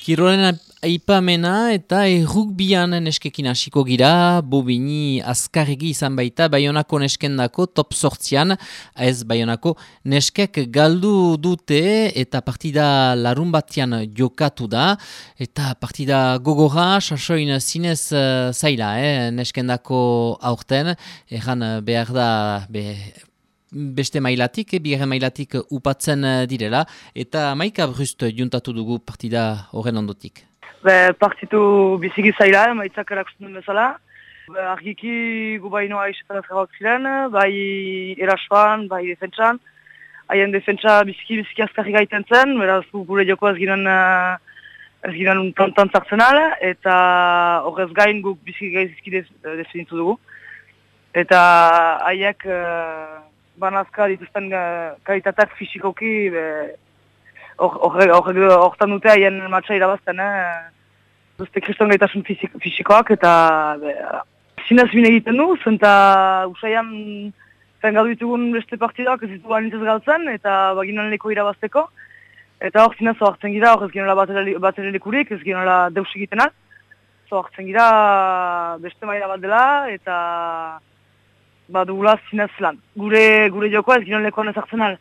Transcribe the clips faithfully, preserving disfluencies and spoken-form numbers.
Kirolen aipamena eta errugbian neskekin hasiko gira, Bobigny azkarregi izan baita Baionako neskendako top sortzian, ez Baionako neskek galdu dute eta partida larun batian jokatu da, eta partida gogorra, sasoin zinez uh, zaila, eh, neskendako aurten, erran behar da... Be, beste mailatik, bigarren mailatik upatzen direla, eta maika brust juntatu dugu partida horren ondotik. Be, partitu biziki zaila, maitzak erakusten duen bezala. Be, argiki gu bainoa isetan ezkarrak ziren, bai erasoan, bai defentsan. Haien defentsa biziki biziki azkarri gaiten zen, beraz gure joko ez ginen, ez ginen tantan zartzen ala, eta horrez gain guk biziki gaizizki definitu dugu. Eta haiek... banazka dituzten uh, kalitatak fisikoki horretan dute haien matxa irabazten, eh? Duzte kriston gaitasun fisikoak eta zinez bine egiten du, zenta usaian zen gadu ditugun beste partidak ez ditu banintzez galtzen eta baginan leko irabazteko. Eta hor zinez zohartzen gira, hor ez ginola batere lekurik, ez ginola deus egitenak. Zohartzen gira beste maila bat dela eta... badugula zinez lan. Gure, gure jokoa ez ginen lekoan ezartzen al,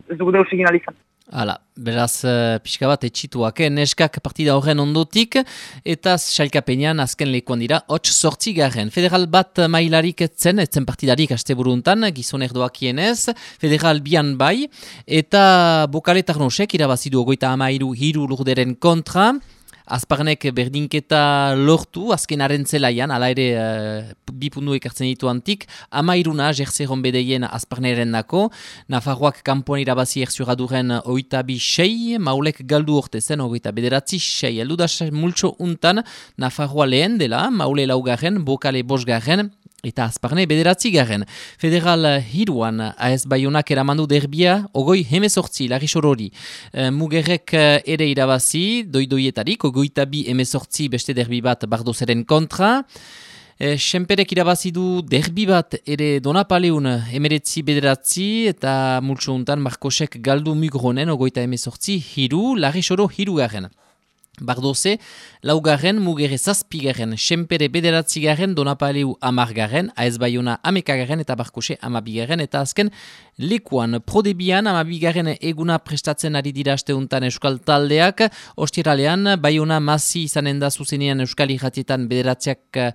ez dugu deus egin alizan. Hala, beraz uh, pixka bat etxituak, eh? Neskak partida horren ondotik, eta sailkapenean azken lekuan dira, hots sortzi garen. Federal bat mailarik etzen, etzen partidarik aste buruntan, gizon erdoakienez, federal bian bai, eta Bokale Tarnosek irabazidu ogoita amairu hiru lurderen kontra, Azparnek berdinketa lortu, azken arentzelaian, ala ere uh, bipundu ekartzen ditu antik, amairuna jertzeron bedeien Azparneren dako, Nafarroak kanpoan irabazi erzuraduren oita bi sei, Maulek galdu orte zen, oita bederatzi sei, eldu da multxo untan, Nafarroa lehen dela, Maule laugarren, Bokale bosgarren, eta Azparne bederatzi garen. Federal hiruan A S Baionak eramandu derbia, ogoi hemezortzi, Larixorori. E, Mugerrek ere irabazi, doidoietarik, ogoita bi hemezortzi beste derbi bat Bardozeren kontra. E, Senperek irabazi du derbi bat ere Donapaleun emeretzi bederatzi, eta multso untan Markosek galdu Mugronen, ogoita hemezortzi, hiru, Larixoro hiru garen. Bardoze, laugarren, Mugerre zazpigaren, Senpere bederatzigaren, Donapaleu amargarren, A S Baiona amekagaren eta Barkose amabigaren, eta azken lekuan Prodebian amabigaren eguna prestatzen ari dira asteuntan euskal taldeak, ostiralean Baiona Masi izanen da zuzenean euskal irratietan bederatziak uh,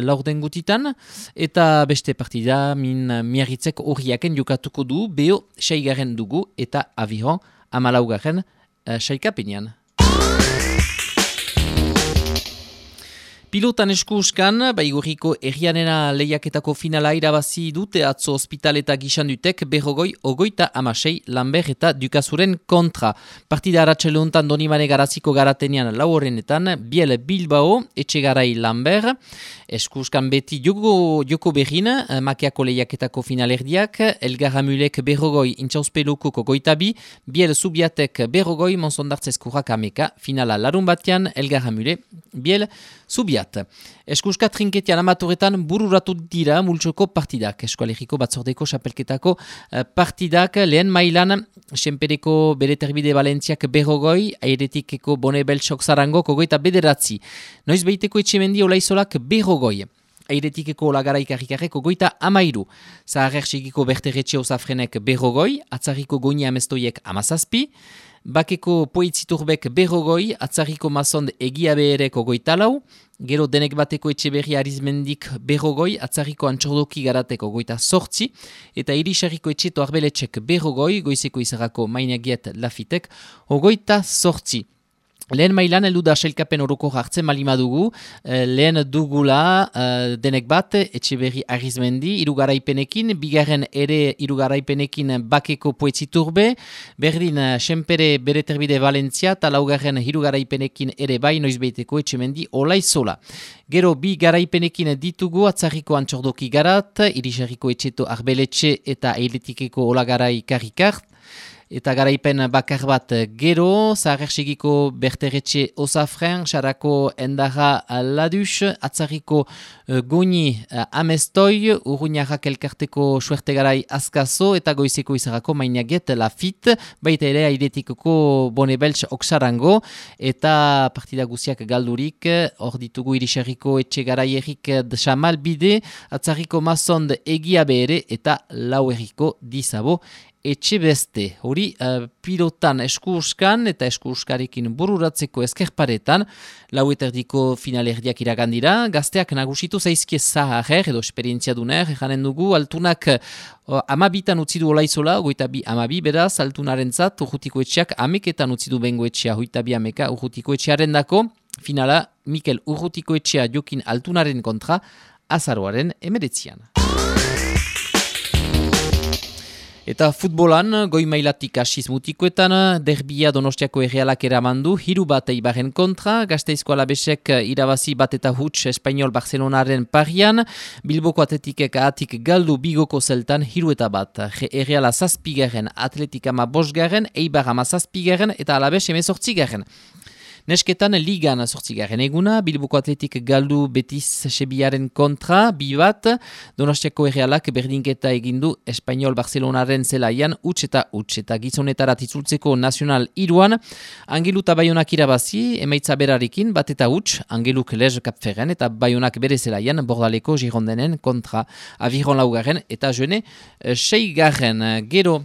laurden gutitan, eta beste partida min miarritzek horriaken jokatuko du, beho saigaren dugu, eta Aviron amalaugarren uh, saikapenean. Pilotan eskuskan, baigurriko errianena lehiaketako finala irabazi dute atzo ospital eta gisandutek berrogoi ogoita amasei Lambert eta Dukazuren kontra. Partida aratxeluntan Donibane garaziko garatenean lau horrenetan, Biel Bilbao, Etxegarai Lambert, eskuskan beti joko, joko berrin, makiako lehiaketako finalerdiak, Elgar Amulek berrogoi intxauspeluko kogoitabi, Biel Zubiatek berrogoi Monsondartzeskurrak ameka, finala larun batean, Elgar Amule, Biel Zubiat. Eskuska trinketian amatoretan bururatu dira multsoko partidak. Eskualeriko batzordeko xapelketako partidak lehen mailan Senpereko bere terbide Valentziak berrogoi, airetikeko Bone Beltsok Zarango kogoita bederatzi. Noiz behiteko etxemendi olaizolak berrogoi. Airetikeko olagaraik harrikarreko goita amairu. Zaharrerxikiko berterretxe osafrenek berrogoi, atzarriko goini amestoiek amazazpi, Bakeko Poitziturbek berrogoi, atzarriko mazond egia behereko goitalau, gero denek bateko etxeberri arizmendik berrogoi, atzarriko antxordoki garateko goita sortzi, eta irisarriko etxeto arbeletxek berrogoi, goizeko izarrako mainagiet lafitek, ogoita sortzi. Lehen mailan heldu da sailkapen oroko hartzen malimadugu, lehen dugula uh, denek bat, etxeberri arizmendi, irugaraipenekin, bigarren ere irugaraipenekin Bakeko Poetziturbe, berdin Senpere bere terbide Valentzia, eta laugarren irugaraipenekin ere bai noizbeiteko etxemendi olaizola. Gero bi garaipenekin ditugu atzarriko antxordoki garat, irisarriko etxeto arbeletxe eta eiletikeko olagarai karrikart, eta garaipen bakar bat gero, Zaharregiko Berteretxe Osafren, Sarako Endarra Ladus, Atzarriko uh, Goni uh, Amestoi, Urruñarrak elkarteko Suertegarai Azkazo, eta Goizeko Izarako Mainaget Lafit, baita ere Airetikoko Bonebeltz Oksarango, eta partida guziak galdurik, hor ditugu Irisarriko Etxegaraierik Xamal Bide, Atzarriko Mazond Egia Behere, eta Lauerriko Dizabo etxe beste. Hori uh, pilotan eskurskan eta eskurskarekin bururatzeko eskerparetan, lau eterdiko finalerdiak iragandira, gazteak nagusitu zaizkie zaharrer edo esperientzia duner, janen dugu, altunak uh, amabitan utzi du olaizola, ogoita bi amabi, beraz, altunaren zat, urrutiko etxeak ameketan utzi du bengo etxea, hoita bi ameka urrutiko etxearen dako, finala, Mikel urrutiko etxea jokin altunaren kontra, azaroaren emeretzian. Eta futbolan, goi mailatik asiz mutikoetan, derbia Donostiako errealak eramandu, hiru bat Eibaren kontra, Gasteizko Alabesek irabazi bat eta huts Espainol Barcelonaren parian, Bilboko Atletikek atik galdu bigoko zeltan hiru eta bat, erreala zazpigaren, Atletik ama bosgaren, Eibar ama zazpigaren eta Alabes emezortzigaren. Nesketan ligan sortzigaren eguna, Bilboko Atletik galdu Betis Sebiaren kontra, bi bat, Donostiako errealak berdinketa egindu Espainol Barcelonaren zelaian, huts eta huts, eta gizonetarat itzultzeko nazional iruan, Angelu eta Baionak irabazi, emaitza berarekin, bat eta huts, Angeluk lez kapferen, eta Baionak bere zelaian, Bordaleko Girondenen kontra, Aviron laugarren, eta jene, seigarren, gero,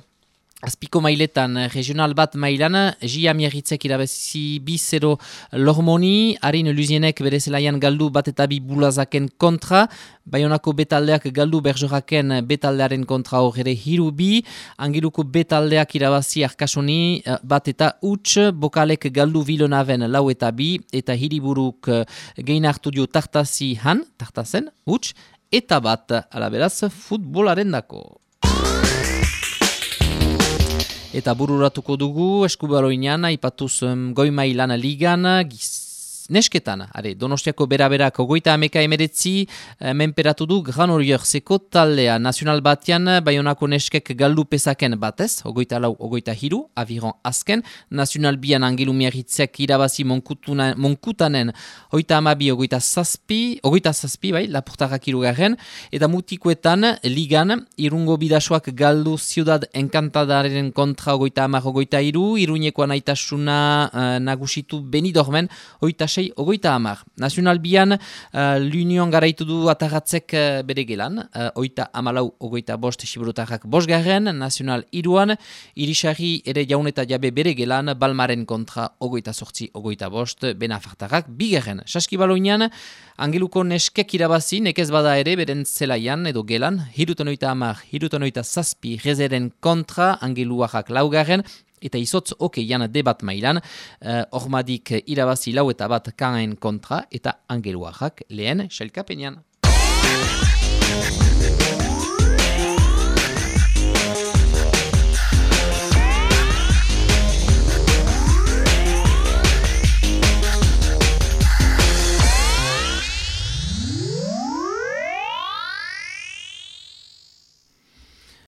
Azpiko mailetan, regional bat mailan, Gia Miarritzek irabazi bi zero Lormoni, Arin Luzienek bere zelaian galdu bat eta bi Bulazaken kontra, Baionako betaldeak galdu Berjoraken betaldearen kontra horre hiru bi, Angeluko betaldeak irabazi Arkasoni bat eta huts, Bokalek galdu Vilonaven lau eta bi, eta Hiriburuk gein hartu dio Tartasi han, Tartasen, huts, eta bat, alaberaz, futbolaren dako. Eta bururatuko dugu, eskubaloinan, aipatuz um, goi mailan ligan, giz, nesketan, are, Donostiako beraberak ogoita ameka emeretzi, eh, menperatu du Gran Oriorzeko taldea nazional batean, Baionako neskek galdu pesaken batez, ogoita lau, ogoita hiru, Aviron azken, nazional bian Angelu Miarritzek irabazi Monkutuna, Monkutanen, ogoita amabi, ogoita zazpi, ogoita zazpi, bai, Lapurtarrak irugarren, eta mutikoetan, ligan, Irungo bidasoak galdu Ciudad Encantadaren kontra ogoita amar, ogoita iru, Iruñekoan aitasuna uh, nagusitu Benidormen, ogoita ogoita hamar. Nazional bian, uh, l'Union garaitu du ataratzek uh, bere gelan, uh, oita amalau ogoita bost siburutarrak bosgarren, nazional iruan, Irisarri ere jaun eta jabe bere gelan, Balmaren kontra ogoita sortzi ogoita bost, benafartarrak bigarren. Saskibaloinan, Angeluko neskek irabazi, nekez bada ere, beren zelaian edo gelan, hirutan oita hamar, hirutan oita zazpi, rezeren kontra, Angeluarrak laugarren, eta izotz okeian debat mailan, uh, ormadik irabazi lau eta bat kaen kontra, eta Angeluarrak lehen selkapenean.